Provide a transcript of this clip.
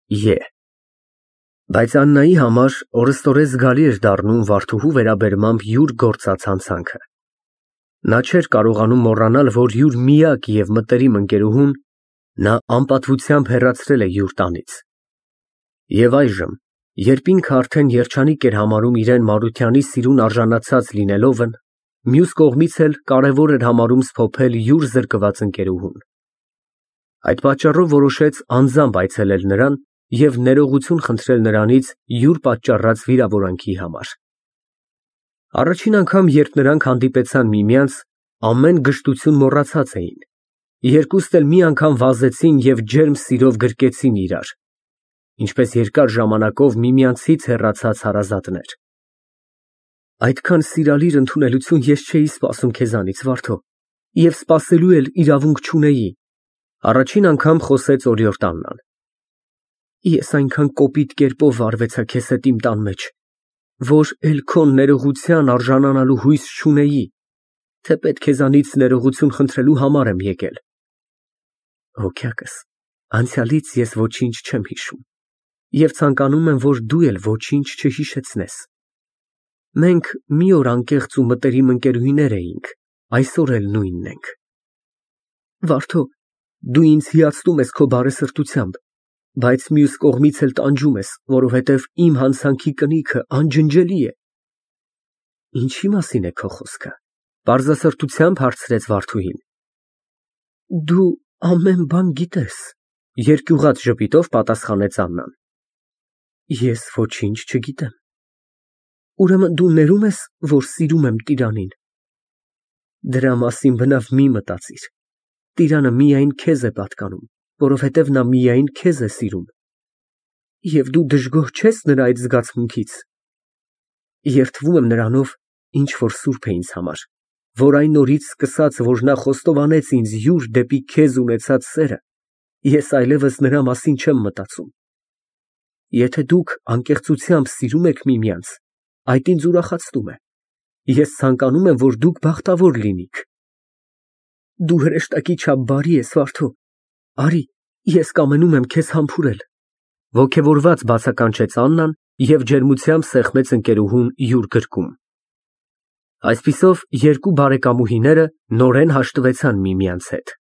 Է։ Բայց Աննայի համար օրըստօրես զգալի էր դառնում Վարդուհու վերաբերմամբ յուր գործած հանցանքը։ Նա չէր կարողանում մոռանալ, որ յուր միակ և մտերիմ ընկերուհուն նա անպատվությամբ հեռացրել է յուր տանից։ Եվ այժմ, երբ ինքը արդեն երջանիկ էր համարում իրան Մարությանի սիրուն արժանացած լինելովն, մյուս կողմից էլ կարևոր էր համարում սփոփել յուր զրկված ընկերուհուն։ Այդ պատճառով որոշեց անձամբ այցելել նրան և ներողություն խնդրել նրանից յուր պատճառած վիրավորանքի համար։ Առաջին անգամ, երբ նրանք հանդիպեցան միմյանց, ամեն գժտություն մոռացած էին, երկուստ էլ մի անգամ վազեցին և ջերմ սիրով գրկեցին իրար, ինչպես երկար ժամանակով միմյանցից հեռացած հարազատներ։ Այդքան սիրալիր ընդունելություն ես չէի սպասում քեզանից, Վարդո, և սպասելու էլ իրավունք չունեի, առաջին անգամ խոսեց օրիորդ Աննան։ Ես այնքան կոպիտ կերպով վարվեցա քեզ հետ իմ տան մեջ, որ էլ քո ներողության արժանանալու հույս չունեի, թեպետ քեզանից ներողություն խնդրելու համար եմ եկել։ Հոգյակս, անցյալից ես ոչինչ չեմ հիշում և ցանկանում եմ, որ դու էլ ոչինչ չհիշեցնես։ Մենք մի օր անկեղծ ու մտերիմ ընկերուհիներ էինք, այսօր էլ նույնն ենք։ Վարդո, դու ինձ հիացնում ես քո բարեսրտությամբ, բայց մյուս կողմից էլ տանջում ես, որովհետև իմ հանցանքի կնիքը անջնջելի է։ Ինչի մասին է քո խոսքը, պարզասրտությամբ հարցրեց Վարդուհին։ Դու ամեն բան գիտես, երկյուղած ժպիտով պատասխանեց Աննան։ Ես ոչինչ չգիտեմ։ Ուրեմն դու ներում ես, որ սիրում եմ տիրանին։ Դրա մասին բնավ մի մտածիր։ Տիրանը միայն քեզ է պատկանում, որովհետև նա միայն քեզ է սիրում։ Եվ դու դժգոհ չես նրա այդ զգացմունքից։ Երդվում եմ նրանով, ինչ որ սուրբ է ինձ համար, որ այն օրից սկսած, որ նա խոստովանեց ինձ յուր դեպի քեզ ունեցած սերը, ես այլևս նրա մասին չեմ մտածում։ Եթե դուք անկեղծությամբ սիրում եք միմյանց, այդ ինձ ուրախացնում է։ Ես ցանկանում եմ, որ դուք բախտավոր լինիք։ Դու հրեշտակի չափ բարի ես, Վարդո։ Արի, ես կամենում եմ քեզ համբուրել։ Ոգևորված բացականչեց Աննան և ջերմությամբ սեղմեց ընկերուհուն յուր գրկում։ Այսպիսով երկու բարեկամուհիները նորեն հաշտվեցան միմյանց հետ։